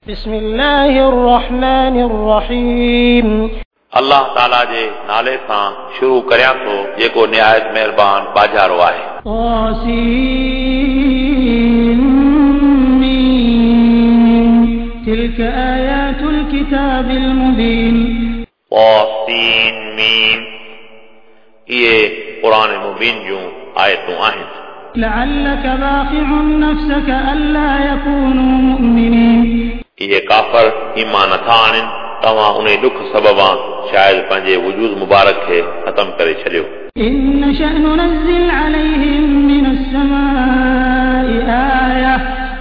بسم الله الرحمن الرحيم. الله تعالى جي نالي سان شروع ڪريان ٿو جيڪو نهايت مهربان ٻاجهارو آهي. طاسين ميم تلك آيات الكتاب المبين. طاسين ميم اهي قرآن مبين جون آيتون آهن. لعلك باخع نفسك ألا يكونوا مؤمنين. اهي ڪافر ايمان نٿا آڻن، توهان ان ڏک سببان شايد پنهنجي وجود مبارڪ کي ختم ڪري ڇڏيو. إن نشأ ننزل عليهم من السماء آية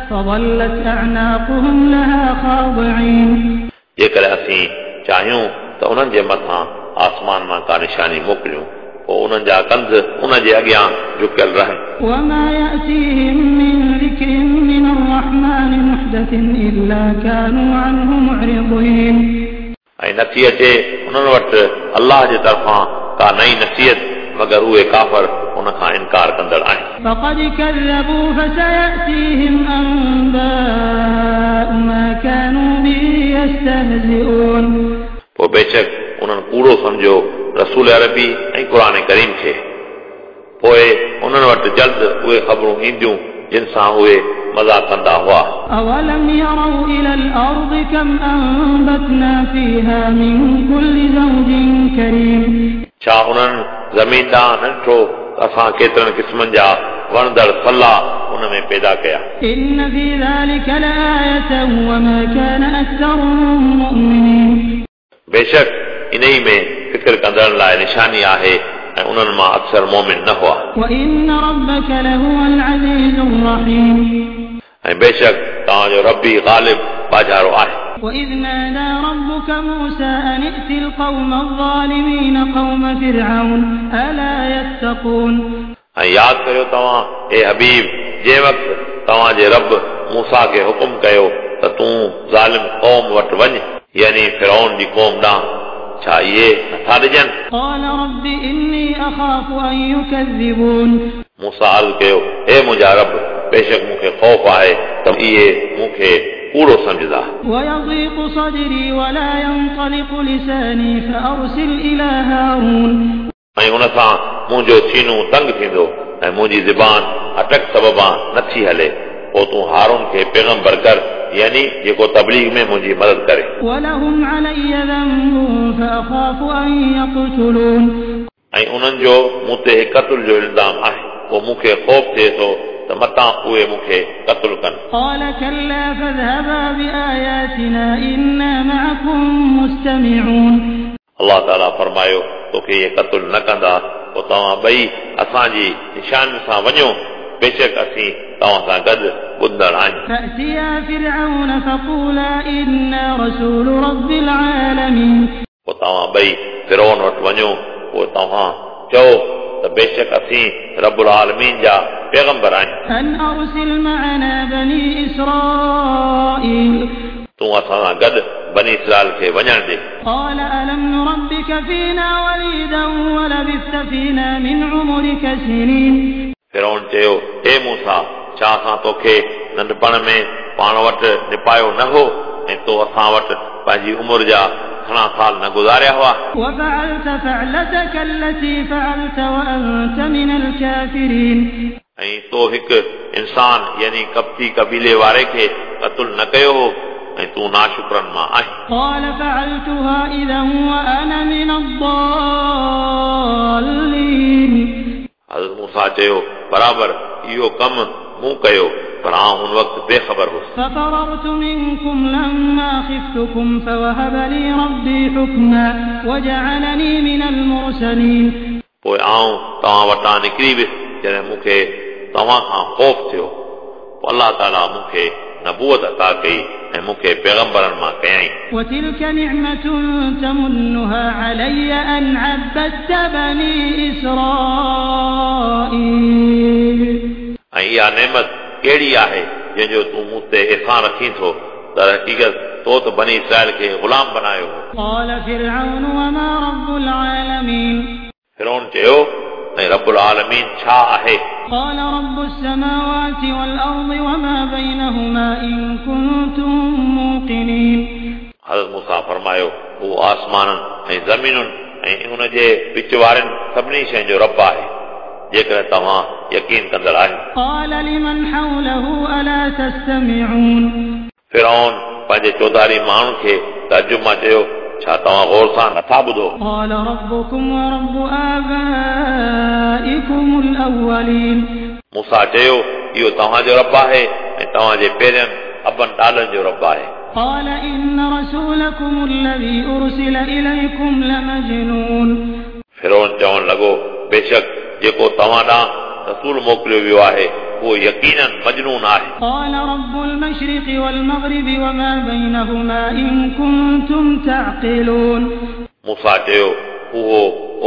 فظلت أعناقهم لها خاضعين. جيڪڏهن اسين چاهيون ته انهن جي مٿان آسمان مان ڪا نشاني موڪليون، پوءِ انهن جا ڪنڌ ان جي اڳيان جهڪيل رهن. وما يأتيهم من ذكر من الرحمن محدث إلا كانوا عنه معرضين. ऐं नथी अचे उन्हनि वटि अल्लाह जे तरफ़ां का नई नसीहत, मगर उहे काफ़र उन खां इनकार कंदड़ आहिनि. فقد كذبوا فسيأتيهم أنباء ما كانوا به يستهزئون. पोइ बेशक उन्हनि कूड़ो सम्झियो रसूल अरबी ऐं क़ुर करीम खे, पोइ उन्हनि वटि जल्द उहे ख़बरूं ईंदियूं जिन सां उहे मज़ा कंदा हुआ. أولم يروا إلى الأرض كم أنبتنا فيها من كل زوج كريم. छा उन्हनि ज़मीन ॾांहुं न ॾिठो त असां केतिरनि क़िस्मनि जा वणंदड़ फला उन में पैदा कया. إن في ذلك لآية وما كان أكثرهم مؤمنين. बेशक इन ई में फ़िक्र कंदड़नि लाइ निशानी आहे ऐं उन्हनि मां अक्सर मोमिन न हुआ. وإن ربك لهو العزيز الرحيم. ऐं बेशक तव्हांजो रबी ग़ालिब बाजारो आहे. وإذ نادى ربك موسى أن ائت القوم الظالمين قوم فرعون ألا يتقون. ऐं यादि करियो तव्हां ए हबीब, जंहिं वक़्तु तव्हांजे रब मूसा खे हुकुम कयो त तूं ज़ालिम क़ौम वटि वञ, यानी फिरौन जी क़ौम ॾांहुं, छा इहे नथा ॾिजनि? قال رب إني أخاف أن يكذبون. मूसा अर्ज़ कयो, हे मुंहिंजा रब, बेशक मूंखे ख़ौफ़ आहे त इहे मूंखे कूड़ो सम्झंदा. ويضيق صدري ولا ينطلق لساني فأرسل إلى هارون. ऐं उन सां मुंहिंजो सीनो तंग थींदो ऐं मुंहिंजी ज़बान अटक सबबां नथी हले, पोइ तूं हारून खे पैगंबर कर, यानी जेको तबलीग में मुंहिंजी मदद करे. ولهم علي ذنب فأخاف أن يقتلون. ऐं उन्हनि जो मूं ते क़तल जो इल्ज़ाम आहे, पोइ मूंखे ख़ौफ़ थिए थो त मतां उहे मूंखे क़तल कनि. قال كلا فاذهبا بآياتنا إنا معكم مستمعون. अल्लाह ताला फरमायो, तोखे इहे क़तल न कंदा, पोइ तव्हां ॿई असांजी निशान सां वञो, बेशक असीं तव्हां सां गॾु ॿुधंदड़ आहियूं. فأتيا فرعون فقولا إنا رسول رب العالمين. पोइ तव्हां ॿई फिरौन वटि वञो, पोइ तव्हां चओ त बेशक असीं रबुल आलमीन जा पैगंबर आहियूं. أن أرسل معنا بني إسرائيل. तूं असां सां गॾु बनी इसराइल खे वञणु ॾे. قال ألم نربك فينا وليدا ولبثت فينا من عمرك سنين. फिरौन चयो, हे मूसा, छा असां तोखे नंढपण में पाण वटि निपायो न हो ऐं तो असां वटि पंहिंजी उमिरि जा घणा साल न गुज़ारिया हुआ? وفعلت فعلتك التي فعلت وأنت من الكافرين. ऐं तो हिकु इंसान यानी कब्ती कबीले वारे खे क़तल न कयो हो ऐं तूं नाशुक्रनि मां आहीं. قال فعلتها إذا وأنا من الضالين. हज़रत मूसा चयो, बराबरि इहो कमु मूं कयो, पर आउं हुन वक़्तु बेख़बर हुउसि. ففررت منكم لما خفتكم فوهب لي ربي حكما وجعلني من المرسلين. पोइ आउं तव्हां वटां निकिरी वियुसि जॾहिं मूंखे तव्हां खां ख़ौफ़ थियो, पोइ अल्लाह ताला मूंखे नबूअत अता कई ऐं मूंखे पैगंबरनि मां कयईं. وتلك نعمة تمنها علي أن عبدت بني إسرائيل. ऐं इहा नेमत कहिड़ी आहे जंहिंजो तूं मूं ते एहसान रखी थो? दर हक़ीक़त तो त बनी इसराइल खे ग़ुलाम बनायो हो. قال فرعون وما رب العالمين. फिरौन चयो, ऐं रबुल आलमीन छा आहे? قال رب السماوات والأرض وما بينهما إن كنتم موقنين. हज़रत मूसा फरमायो, उहो आसमाननि ऐं ज़मीनुनि ऐं उन जे विच वारनि सभिनी शयुनि जो रब आहे, जेकॾहिं तव्हां यकीन कंदड़ आहियो। قال لمن حوله ألا تستمعون. फिरौन पंहिंजे चौधारी माण्हुनि खे तअजुब मां चयो, छा तव्हां गौर सां नथा ॿुधो? قال ربكم ورب آبائكم الأولين. मूसा चयो, इहो तव्हांजो रब आहे ऐं तव्हांजे पहिरियनि अबनि ॾाॾनि जो रब आहे। قال إن رسولكم الذي أرسل إليكم لمجنون. फिरौन चवणु लॻो, बेशक जेको तव्हां ॾांहुं रसूल मोकिलियो वियो आहे उहो यकीनन मजनून आहे। قال رب المشرق والمغرب وما بينهما إن كنتم تعقلون. मूसा चयो, उहो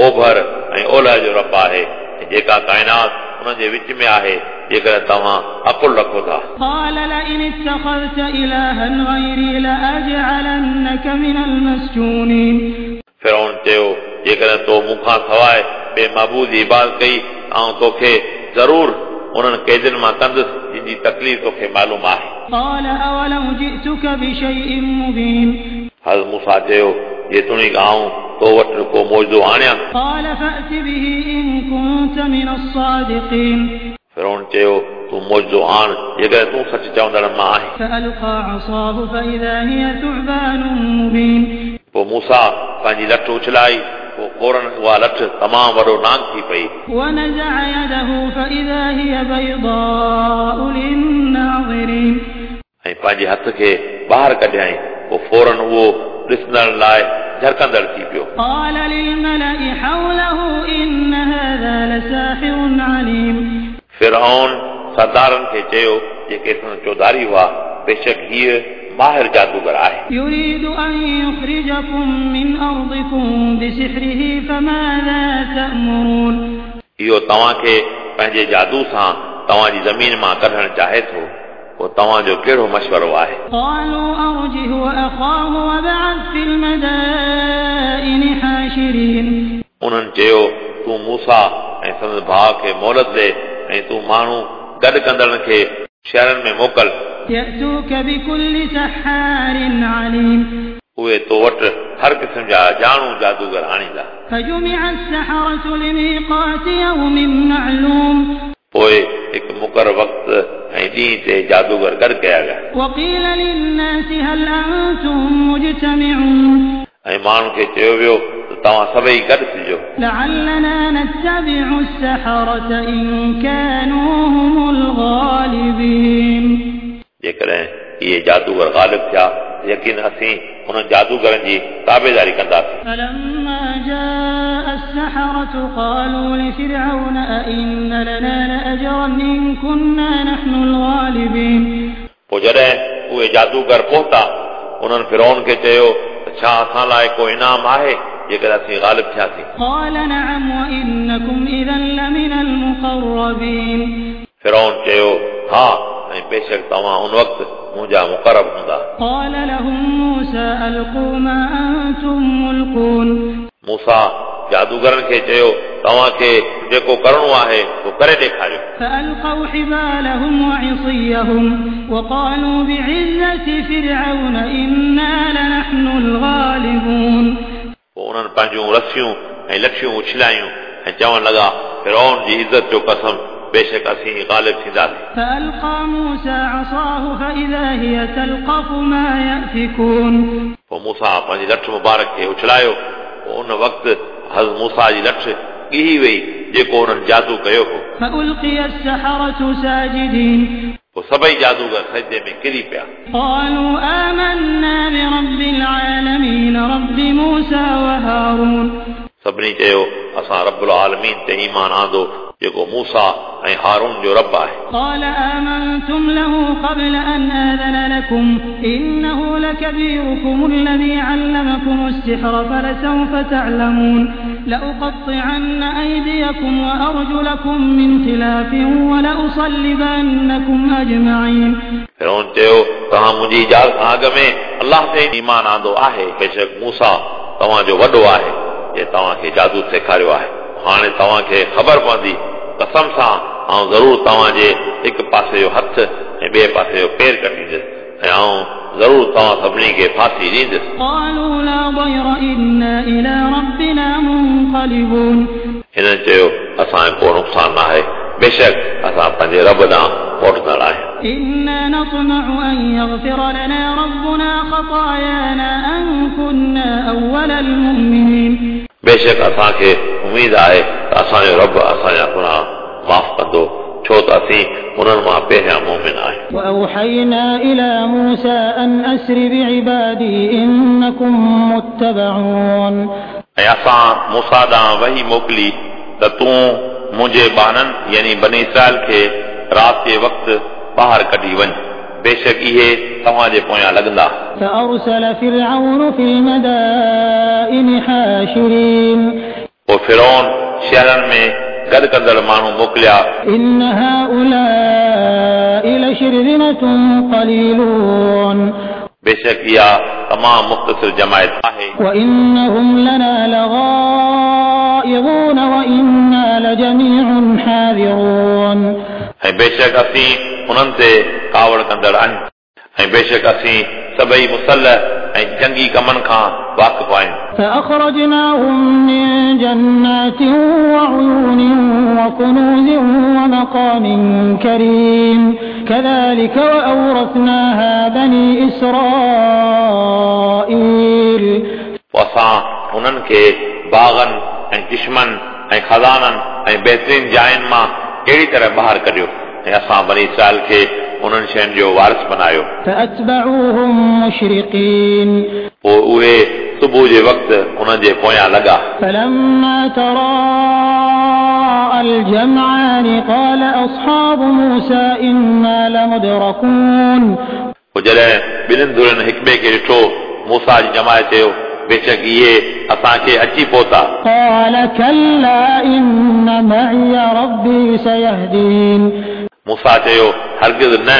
ओभर ऐं ओलह जो रब आहे ऐं जेका काइनात उन्हनि जे विच में आहे, जेकॾहिं तव्हां अकुल रखो था। قال لئن اتخذت إلها غيري لأجعلنك من المسجونين. फिरौन चयो, जेकॾहिं तो मूंखां सवाइ ॿिए महबूद जी इबादत कई, आउं तोखे ज़रूर उन्हनि क़ैदियुनि मां कंदुसि जिन जी तकलीफ़ तोखे मालूम आहे। قال أولو جئتك بشيء مبين. हज़रत मूसा चयो, जेतोणीकि आउं तो वटि को मौजूदो आणियां। قال فأت به إن كنت من الصادقين. फिरौन चयो, तूं मौजूदो आण जेकॾहिं तूं सच चवंदड़ मां आहीं। فألقى عصاه فإذا هي ثعبان مبين. पोइ मूसा पंहिंजी लठ उछलाई, पोइ फ़ौरन उहा लठ तमामु वॾो नांग थी पई। ونزع يده فإذا هي بيضاء للناظرين. ऐं पंहिंजे हथ खे ॿाहिरि कढियाईं, पोइ फ़ौरन उहो ॾिसंदड़ लाइ झरकंदड़ थी पियो। قال للملأ حوله إن هذا لساحر عليم. फिरौन सरदारनि खे चयो, जेके संदसि चौधारी हुआ, बेशक हीअ माहिर जादूगर आहे। يريد أن يخرجكم من أرضكم بسحره فماذا تأمرون. इहो तव्हांखे पंहिंजे जादू सां तव्हांजी ज़मीन मां कढणु चाहे थो, पोइ तव्हांजो कहिड़ो मशवरो आहे? قالوا أرجه وأخاه وابعث في المدائن حاشرين. उन्हनि चयो, तूं मूसा ऐं संदसि भाउ खे मोहलत ॾे ऐं तूं माण्हू गॾु कंदड़नि खे शहरनि में मोकिल। يأتوك بكل سحار عليم. उहे तो वटि हर क़िस्म जा ॼाणू जादूगर आणींदा। فجمع السحرة لميقات يوم معلوم. पोइ हिकु मुक़ररु वक़्तु ऐं ॾींहं ते जादूगर गॾु कया विया। وقيل للناس هل أنتم مجتمعون. ऐं माण्हुनि खे चयो वियो त तव्हां सभई गॾु थिजो। لعلنا نتبع السحرة إن كانوا هم الغالبين. जेकॾहिं इहे जादूगर ग़ालिब थिया, यकीन असीं उन्हनि जादूगरनि जी ताबेदारी कंदासीं। فلما جاء السحرة قالوا لفرعون أئن لنا لأجرا إن كنا نحن الغالبين. पोइ जॾहिं उहे जादूगर पहुता, उन्हनि फिरौन खे चयो त छा असां लाइ को इनाम आहे जेकॾहिं असीं ग़ालिब थियासीं? قال نعم وإنكم إذا لمن المقربين. फिरौन चयो, हा, ऐं बेशक तव्हां उन वक़्तु मुंहिंजा मुक़रब हूंदा। قال لهم موسى ألقوا ما أنتم ملقون. मूसा जादूगरनि खे चयो, तव्हांखे जेको करिणो आहे सो करे ॾेखारियो। فألقوا حبالهم وعصيهم وقالوا بعزة فرعون إنا لنحن الغالبون. पोइ उन्हनि पंहिंजूं रसियूं ऐं लठियूं उछलायूं ऐं चवणु लॻा, फिरौन जी इज़त जो कसम, बेशक असीं ग़ालिब थींदासीं। فألقى موسى عصاه فإذا هي تلقف ما يأفكون. पोइ मूसा पंहिंजी लठ मुबारक खे उछलायो, पोइ उन वक़्तु हज़रत मूसा जी लठ ॻिही वई जेको उन्हनि जादू कयो हो। فألقي السحرة ساجدين. पोइ सभई जादूगर सजदे में किरी पिया। قالوا آمنا برب العالمين رب موسى وهارون. सभिनी चयो, असां रबुल आलमीन ते ईमान आंदो जेको मूसा ऐं हारून जो रब आहे। قال آمنتم له قبل أن آذن لكم إنه لكبيركم الذي علمكم السحر فلسوف تعلمون لأقطعن أيديكم وأرجلكم من خلاف ولأصلبنكم أجمعين. फिरौन चयो, तव्हां मुंहिंजी इजाज़त खां अॻु में अलाह ते ईमान आंदो आहे, बेशक मूसा तव्हांजो वॾो आहे जे तव्हांखे जादू सेखारियो आहे। हाणे तव्हांखे ख़बर पवंदी, कसम सां आउं ज़रूरु तव्हांजे हिकु पासे जो हथु ऐं ॿिए पासे जो पेर कटींदुसि ऐं आउं ज़रूरु तव्हां सभिनी खे फांसी ॾींदुसि। قالوا لا ضير إنا إلى ربنا منقلبون। हिननि चयो असांजो को नुक़सानु न आहे, बेशक असां पंहिंजे रब ॾांहुं मोटंदड़ आहियूं। إنا نطمع أن يغفر لنا ربنا خطايانا أن كنا أول المؤمنين। बेशक असांखे उमेद आहे त असांजो रब असांजा गुनाह माफ़ कंदो, छो त असीं उन्हनि मां पहिरियां मोमिन आहियूं। وأوحينا إلى موسى أن أسر بعبادي إنكم متبعون। ऐं असां मूसा ॾांहुं वही मोकिली त तूं मुंहिंजे ॿारनि यानी बनी इसराइल खे राति जे वक़्तु ॿाहिरि कढी वञ, बेशक इहे तव्हांजे पोयां लॻंदा। فأرسل فرعون في المدائن حاشرين। पोइ फिरौन शहरनि में गॾु कंदड़ माण्हू मोकिलिया। إن هؤلاء لشرذمة قليلون। बेशक इहा तमामु मुख़्तसिर जमायत आहे। وإنهم لنا لغائظون وإنا لجميع حاذرون। ऐं बेशक असीं उन्हनि ते कावड़ कंदड़ आहियूं, ऐं बेशक असीं सभई मुसल ऐं जंगी कमनि खां वाक़िफ़ आहियूं। فأخرجناهم من جنات وعيون وكنوز ومقام كريم كذلك وأورثناها بني إسرائيل। पोइ असां उन्हनि खे बाग़नि ऐं चिश्मनि ऐं ख़ज़ाननि ऐं बहितरीन जायुनि मां अहिड़ी तरह ॿाहिरि कढियो, ऐं असां बनी इसराइल खे उन्हनि शयुनि जो वारिस बनायो। فأتبعوهم مشرقين। पोइ उहे सुबुह जे वक़्तु उन्हनि जे पोयां लॻा। فلما تراءى الجمعان قال أصحاب موسى إنا لمدركون। पोइ जॾहिं ॿिन्हिनि धुरनि हिक ॿिए खे ॾिठो, मूसा जी जमायत चयो बेशक इहे असांखे अची पहुता। قال كلا إن معي ربي سيهدين। मूसा चयो हरगिज़ न,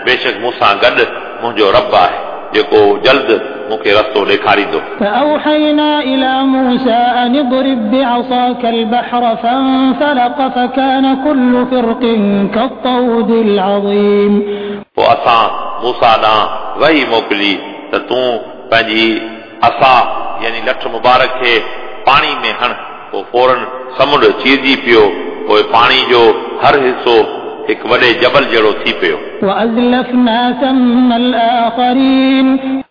बेशक मूं सां गॾु मुंहिंजो रब आहे जेको जल्द मूंखे रस्तो ॾेखारींदो। فأوحينا إلى موسى أن اضرب بعصاك البحر فانفلق فكان كل فرق كالطود العظيم। पोइ असां मूसा ॾांहुं वही मोकिली त तूं पंहिंजी असा यानी लठ मुबारक खे पाणी में हण, पोइ फ़ौरन समुंड चीरजी पियो, पोइ पाणी जो हर हिसो हिकु वॾे जबल जहिड़ो थी पियो। وأزلفنا ثم الآخرين।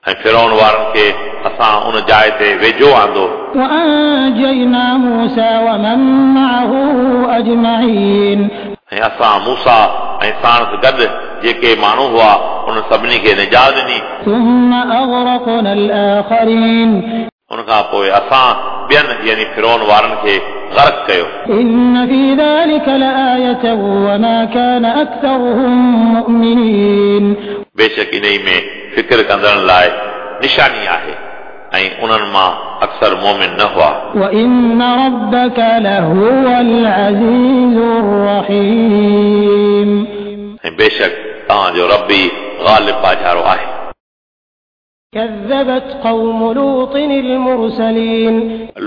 ऐं फिरौन वारनि खे असां उन जाइ ते वेझो आंदो। وأنجينا موسى ومن معه أجمعين। ऐं असां मूसा ऐं साणसि गॾु जेके माण्हू हुआ उन सभिनी खे निजात ॾिनी। ثم أغرقنا الآخرين। उन खां पोइ असां ॿियनि यानी फिरौन वारनि खे गर्क कयो। إن في ذلك لآية وما كان أكثرهم مؤمنين। बेशक इन में फ़िक्र कंदड़नि लाइ निशानी आहे, ऐं उन्हनि मां अक्सर मोमिन न हुआ। وإن ربك لهو العزيز الرحيم। ऐं बेशक तव्हांजो रब ई ग़ालिब बाजारो आहे। كذبت قوم لوط المرسلين।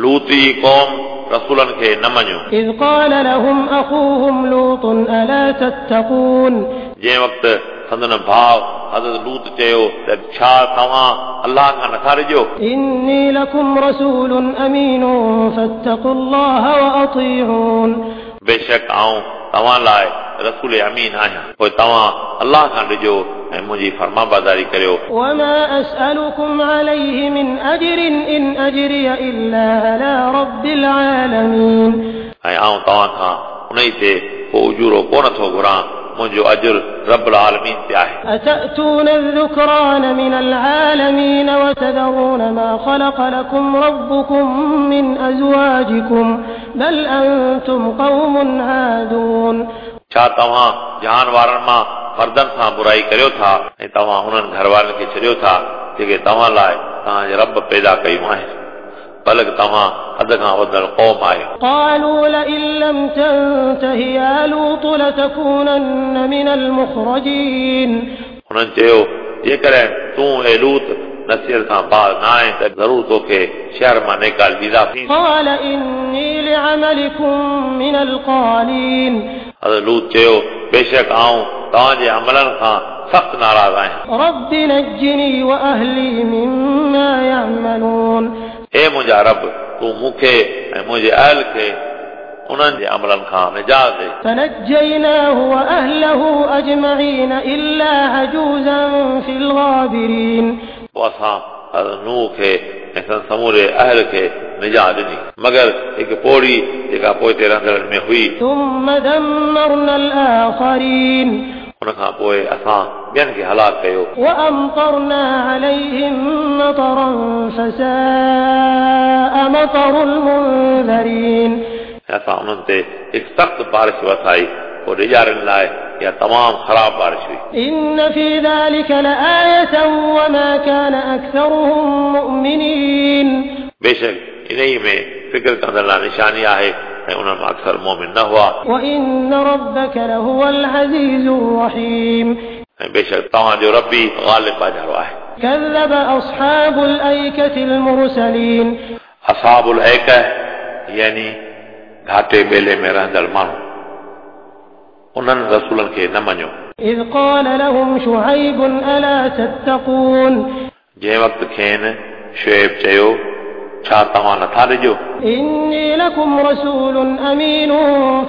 लूती क़ौम रसूलनि खे न मञियो। إذ قال لهم أخوهم لوط ألا تتقون। जंहिं वक़्तु संदन भाउ हज़रत लूत चयो त छा तव्हां अल्लाह खां नथा डिॼो? إني لكم رسول أمين فاتقوا الله وأطيعون। बेशक आउं तव्हां लाइ रसूल अमीन आहियां, पोइ तव्हां अल्लाह खां डिॼो ऐं मुंहिंजी फरमाबरदारी करियो। وما أسألكم عليه من أجر إن أجري إلا على رب العالمين। ऐं आउं तव्हां खां उन ई ते को उजूरो कोन थो घुरां, मुंहिंजो अजर रब आलमीन ते आहे। أتأتون الذكران من العالمين وتذرون ما خلق لكم ربكم من أزواجكم بل أنتم قوم عادون। छा तव्हां जहान वारनि मां मर्दनि सां बुराई करियो था ऐं तव्हां उन्हनि घर वारनि खे छॾियो था जेके तव्हां लाइ तव्हांजे रब पैदा कयूं आहिनि, बल्कि तव्हां हद खां वधंदड़ क़ौम आहियो। قالوا لئن لم تنته يا لوط لتكونن من المخرجين। हुननि चयो जेकॾहिं तूं ए लूत नसीहत खां बाज़ न आहे त ज़रूर तोखे शहर मां निकाल ॾींदासीं। قال إني لعملكم من القالين। हज़रत लूत चयो बेशक आउं तव्हांजे अमलनि खां सख़्तु नाराज़ आहियां। رب نجني وأهلي مما يعملون हे मुंहिंजा रब, तूं मूंखे ऐं मुंहिंजे अहल खे उन्हनि जे अमलनि खां निजात ॾे। فنجيناه وأهله أجمعين إلا عجوزا في الغابرين पोइ असां हज़रत नूह खे ऐं संदसि समूरे अहल खे निजात ॾिनी, मगर हिकु पोड़ी जेका पोइते रहंदड़नि में हुई। ثم دمرنا الآخرين उन खां पोइ असां ॿियनि खे हलाक कयो। وأمطرنا عليهم مطرا فساء مطر المنذرين ऐं असां उन्हनि ते हिकु सख़्तु बारिश वसाई, पोइ ॾिजारण लाइ इहा तमामु ख़राब बारिश हुई। إن في ذلك لآية وما كان أكثرهم مؤمنين बेशक इन ई में फ़िक्र कंदड़ लाइ निशानी आहे ऐं उन्हनि मां अक्सर मोमिन न हुआ। وإن ربك لهو العزيز الرحيم ऐं बेशक तव्हांजो रबी ग़ालिब बाजारो आहे। كذب أصحاب الأيكة المرسلين असहाबुल ऐका यानी घाटे ॿेले में रहंदड़ माण्हू, उन्हनि रसूलनि खे न मञियो। إذ قال لهم شعيب ألا تتقون जंहिं वक़्तु खेनि शुएब चयो, छा तव्हां नथा ॾिजो? إني لكم رسول أمين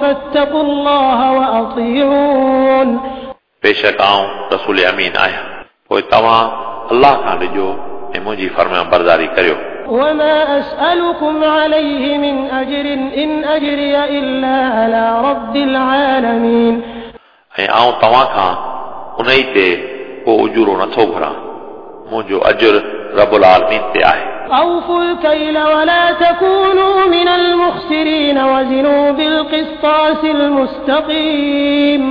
فاتقوا الله وأطيعون बेशक आउं रसूल अमीन आहियां, पोइ तव्हां अल्लाह खां ॾिजो ऐं मुंहिंजी फरमाबरदारी करियो। وما أسألكم عليه من أجر إن أجري إلا على رب العالمين ऐं आउं तव्हां खां उन ई ते को उजूरो नथो घुरां, मुंहिंजो अजुर रबुल आलमीन ते आहे। أوفوا الكيل ولا تكونوا من المخسرين وزنوا بالقسطاس المستقيم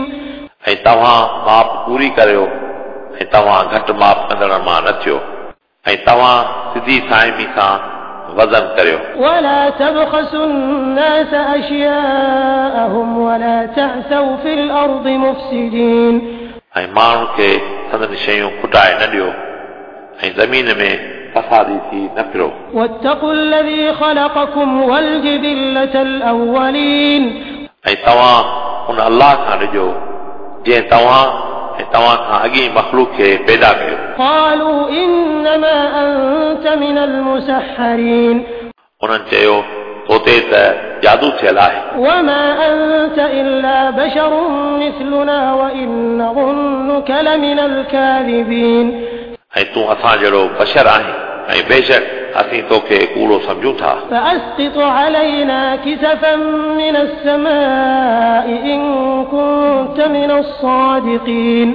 ऐं तव्हां माप पूरी करियो ऐं तव्हां घटि माप कंदड़नि मां न थियो, ऐं तव्हां सिधी साइमी सां वज़न करियो। ولا تبخسوا الناس أشياءهم ولا تعثوا في الأرض مفسدين ऐं माण्हुनि खे संदन शयूं खुटाए न ॾियो ऐं ज़मीन में फसादी थी न फिरो। واتقوا الذي خلقكم والجبلة الأولين ऐं तव्हां उन अल्लाह खां ॾिजो जंहिं तव्हां ऐं तव्हां खां अॻी मख़लूक खे पैदा कयो। قالوا إنما أنت من المسحرين उन्हनि चयो, तो ते त जादू थियल आहे। وما أنت إلا بشر مثلنا وإن نظنك لمن الكاذبين ऐं तूं असां जहिड़ो बशर आहीं ऐं बेशक असीं तोखे कूड़ो सम्झूं था। فأسقط علينا كسفا من السماء إن كنت من الصادقين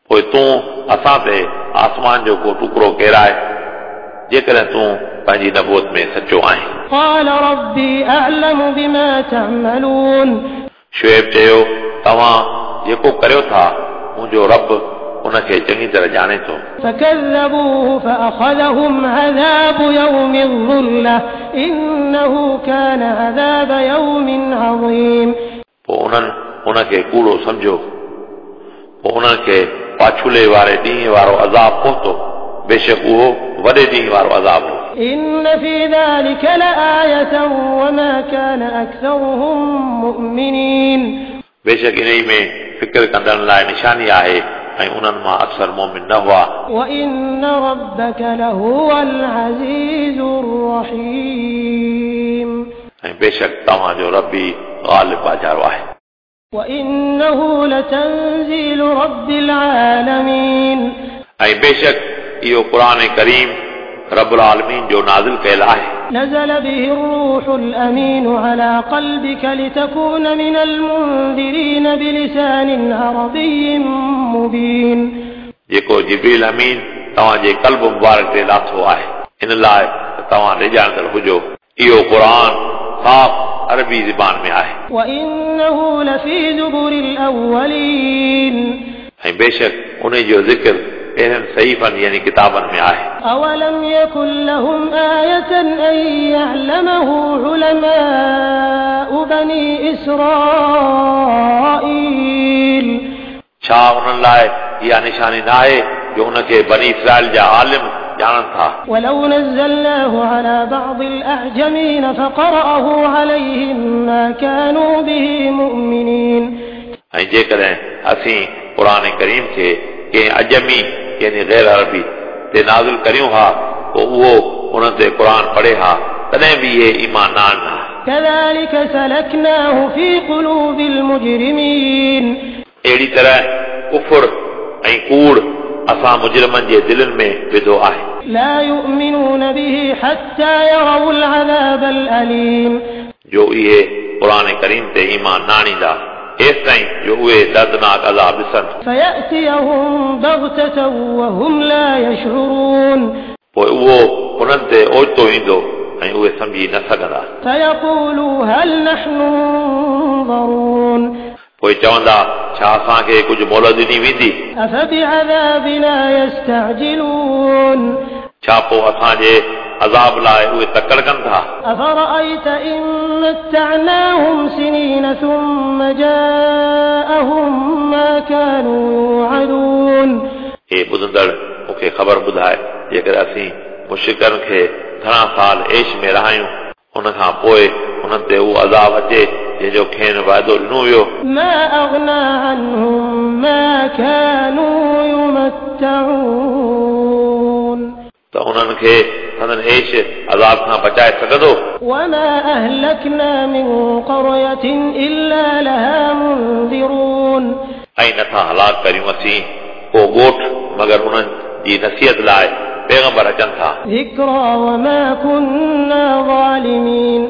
पोइ तूं असां ते आसमान जो को टुकड़ो केराए, जेकॾहिं तूं पंहिंजी नबूअत में सचो आहीं। قال ربي أعلم بما تعملون शुएब चयो, तव्हां जेको करियो था मुंहिंजो रब उनखे चङी तरह ॼाणे थो। فكذبوه فأخذهم عذاب يوم الظلة إنه كان عذاب يوم عظيم पोइ उन्हनि उनखे कूड़ो सम्झियो, पोइ उन्हनि खे पाछुले वारे ॾींहं वारो अज़ाब पहुतो, बेशक उहो वॾे ॾींहं वारो अज़ाब हो। إن في ذلك لآية وما كان أكثرهم مؤمنين बेशक इन ई में फ़िक्र कंदड़नि लाइ निशानी आहे ऐं उन्हनि मां अक्सर मोमिन न हुआ। وإن ربك لهو العزيز الرحيم ऐं बेशक तव्हांजो रबी ग़ालिब बाजारो आहे। وإنه لتنزيل رب العالمين ऐं बेशक इहो क़ुर करीम रबुल आलमीन जो नाज़िल कयल आहे। نزل به الروح الأمين على قلبك لتكون من المنذرين بلسان عربي مبين जेको जिब्रील अमीन तव्हांजे कल्ब मुबारक ते लाथो आहे, इन लाइ त तव्हां ॾिजाणंदड़ हुजो। इहो क़ुर साफ़ अरबी ज़बान में आहे। وإنه لفي زبر الأولين ऐं बेशक उन जो ज़िक्र अहिड़नि सहीफ़नि यानी किताबनि में आहे। أولم يكن لهم آية أن يعلمه علماء بني إسرائيل छा उन्हनि लाइ इहा निशानी न आहे जो उनखे बनी इसराइल जा आलिम ॼाणनि था? ولو نزلناه على بعض الأعجمين فقرأه عليهم ما كانوا به مؤمنين ऐं जेकॾहिं असीं क़ुर करीम खे कंहिं अजमी यानी ग़ैर अरबी ते नाज़िल करियूं हा पोइ उहो उन्हनि ते क़ुर पढ़े हा तॾहिं बि इहे ईमान न आणनि हा। كذلك سلكناه في قلوب المجرمين। अहिड़ी तरह कुफुर ऐं कूड़ असां मुजरिमनि जे दिलनि में विधो आहे। لا يؤمنون به حتى يروا العذاب الأليم। जो इहे क़ुर करीम ते ईमान न आणींदा एसिताईं जो उहे दर्दनाक अज़ाब ॾिसनि। فيأتيهم بغتة وهم لا يشعرون। पोइ उहो उन्हनि ते ओचितो ईंदो ऐं उहे सम्झी न सघंदा। فيقولوا هل نحن منظرون। पोइ चवंदा छा असांखे कुझु मोहलत ॾिनी वेंदी? أفبعذابنا يستعجلون। छा पोइ असांजे अज़ाब लाइ उहे तकड़ कनि था? أفرأيت إن متعناهم سنين ثم جاءهم ما كانوا يوعدون। हे ॿुधंदड़ मूंखे ख़बर ॿुधाए जेकॾहिं असीं मुशिकनि खे घणा साल ऐश में रहायूं उन खां पोइ उन्हनि ते उहो अज़ाब अचे जंहिंजो खेनि वाइदो ॾिनो वियो। ما أغنى عنهم ما كانوا يمتعون। त उन्हनि खे संदन ऐश अज़ाब खां बचाए सघंदो? وما أهلكنا من قرية إلا لها منذرون। ऐं नथा हलाक करियूं असीं को ॻोठ मगर उन्हनि जी नसीहत लाइ पैगंबर अचनि था। ذكرى وما كنا ظالمين।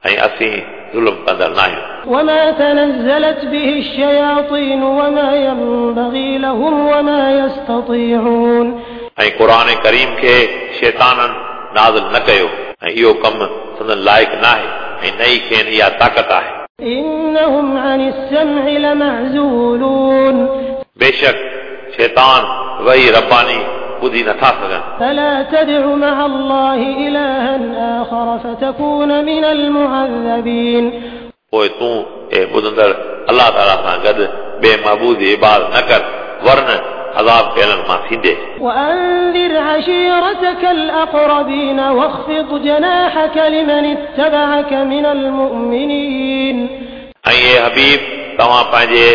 ऐं असीं ज़ुल्म कंदड़ न आहियूं। وما تنزلت به الشياطين وما ينبغي لهم وما يستطيعون। ऐं क़ुर करीम खे शैताननि नाज़िल न कयो ऐं इहो कमु संदन लाइक़ न आहे ऐं न ई खेनि इहा ताक़त आहे। إنهم عن السمع لمعزولون। बेशक शैतान वही रब्बानी ॿुधी नथा सघनि। فلا تدع مع الله إلها آخر فتكون من المعذبين। पोइ तूं ए ॿुधंदड़ अलाह ताला सां गॾु ॿिए महबूद जी इबादत न कर वरन अज़ाब कयलनि मां थींदे। وأنذر عشيرتك الأقربين واخفض جناحك لمن اتبعك من المؤمنين। ऐं ए हबीब तव्हां पंहिंजे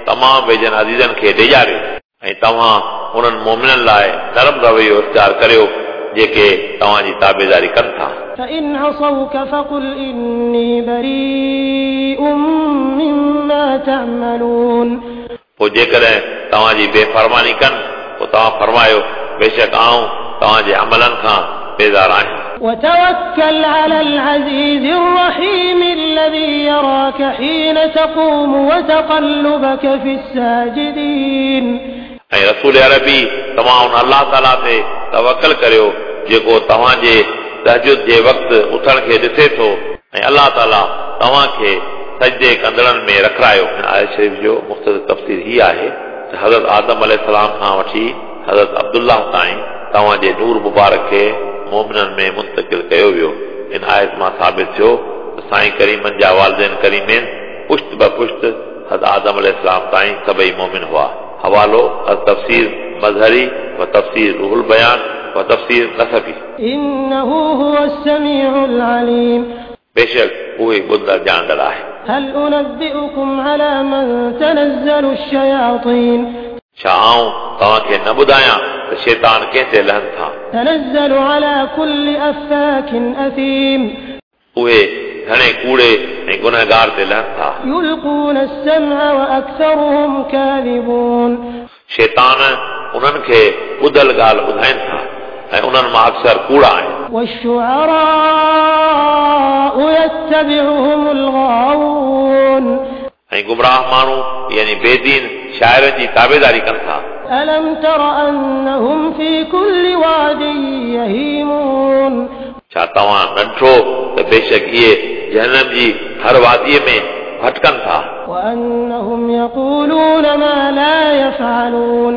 तमामु वेझनि अज़ीज़नि खे ॾेजारियो ऐं तव्हां उन्हनि मोमिननि लाइ नरम रवैयो इख़्तियार करियो जेके तव्हांजी ताबेदारी कनि था। فإن عصوك فقل إني بريء مما تعملون। पोइ जेकॾहिं तव्हांजी बेफरमानी कनि पोइ तव्हां फरमायो बेशक आउं तव्हांजे अमलनि खां बेज़ार आहियां। وتوكل على العزيز الرحيم الذي يراك حين تقوم وتقلبك في الساجدين। ऐं रसूल अरबी तव्हां उन अलाह ताला ते तवकल करियो जेको तव्हांजे तहजुद जे वक़्तु उथण खे ॾिसे थो ऐं अलाह ताला तव्हांखे सजदे कंदड़नि में रखारायो। आयत शरीफ़ जो मुख़्तसर तफ़सीर हीअ आहे त हज़रत आदम अलैहिस्सलाम खां वठी हज़रत अब्दुल्लाह ताईं तव्हांजे नूर मुबारक खे मोमिननि में मुंतकिल कयो वियो। इन आयत मां साबित थियो त साईं करीमनि जा वालिदैन करीमैन पुश्त ब पुश्त हज़रत आदम अलैहिस्सलाम ताईं सभई मोमिन हुआ। हवालो तफ़सीर मज़हरी व तफ़सीर रूहुल बयान व तफ़सीर नसफ़ी। إنه هو السميع العليم। बेशक उहे ॿुधंदड़ ॼाणंदड़ आहे। هل أنبئكم على من تنزل الشياطين। छा आउं तव्हांखे न ॿुधायां त शैतान कंहिं ते लहनि था? تنزل على كل أفاك أثيم। उहे घणे कूड़े ऐं गुनहगार ते लहनि था। يلقون السمع وأكثرهم كاذبون। शैतान उन्हनि खे ॿुधल ॻाल्हि ॿुधाइनि था ऐं उन्हनि मां अक्सर कूड़ा आहिनि। والشعراء يتبعهم الغاوون। ऐं गुमराह माण्हू यानी बेदीन शाइरनि जी ताबेदारी कनि था। ألم تر أنهم في كل واد يهيمون। छा तव्हां न ॾिठो त बेशक इहे जहनम जी हर वादीअ में भटकनि था। وأنهم يقولون ما لا يفعلون।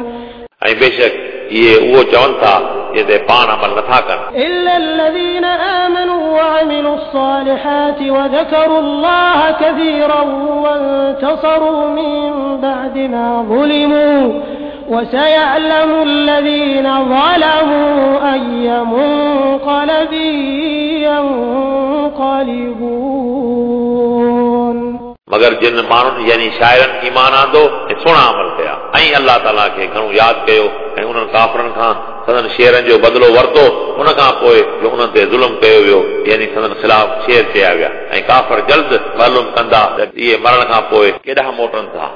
ऐं बेशक इहे उहो चवनि था जंहिं ते पाण अमल नथा कनि। إلا الذين آمنوا وعملوا الصالحات وذكروا الله كثيرا وانتصروا من بعد ما ظلموا وسيعلم الذين ظلموا أي منقلب ينقلبون. मगर जिन माण्हुनि यानी शाइरनि ईमान आंदो ऐं सुहिणा अमल कया। ऐं अलाह ताला खे घणो यादि कयो ऐं उन्हनि काफ़रनि खां संदन शेरनि जो बदिलो वरितो उन खां पोइ जो उन्हनि ते ज़ुल्म कयो वियो यानी संदन ख़िलाफ़ शेर चया विया ऐं काफ़र जल्द मालूम कंदा त इहे मरण खां पोइ केॾां मोटनि था।